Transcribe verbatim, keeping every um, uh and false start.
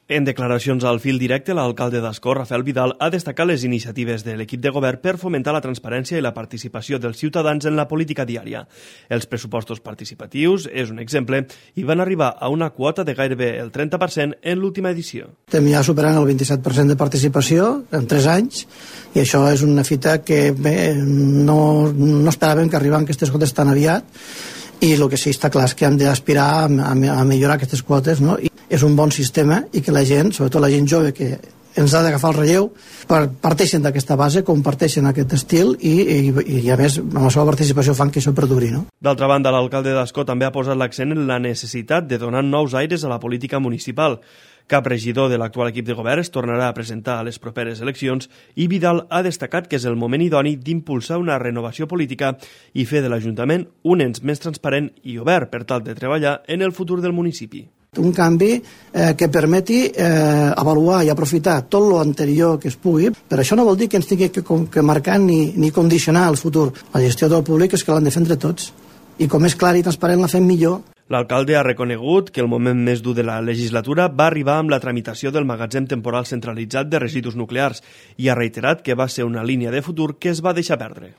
En declaracions al fil directe, l'alcalde d'Ascó, Rafael Vidal, ha destacat les iniciatives de l'equip de govern per fomentar la transparència i la participació dels ciutadans en la política diària. Els pressupostos participatius és un exemple i van arribar a una quota de gairebé el trenta per cent en l'última edició. Estem ja superant el vint-i-set per cent de participació en tres anys i això és una fita que bé, no, no esperàvem que arribin aquestes quotes tan aviat i el que sí està clar és que hem d'aspirar a, a, a millorar aquestes quotes, no? I és un bon sistema i que la gent, sobretot la gent jove que ens ha d'agafar el relleu, parteixen d'aquesta base, comparteixen aquest estil i, i, i a més amb la seva participació fan que això perduri, no? D'altra banda, l'alcalde d'Ascó també ha posat l'accent en la necessitat de donar nous aires a la política municipal. Cap regidor de l'actual equip de govern es tornarà a presentar a les properes eleccions i Vidal ha destacat que és el moment idoni d'impulsar una renovació política i fer de l'Ajuntament un ens més transparent i obert per tal de treballar en el futur del municipi. Un canvi eh, que permeti eh, avaluar i aprofitar tot lo anterior que es pugui. Per això no vol dir que ens tingui que, que marcar ni, ni condicionar el futur. La gestió del públic és que l'han de fer entre tots. I com és clar i transparent la fem millor. L'alcalde ha reconegut que el moment més dur de la legislatura va arribar amb la tramitació del magatzem temporal centralitzat de residus nuclears i ha reiterat que va ser una línia de futur que es va deixar perdre.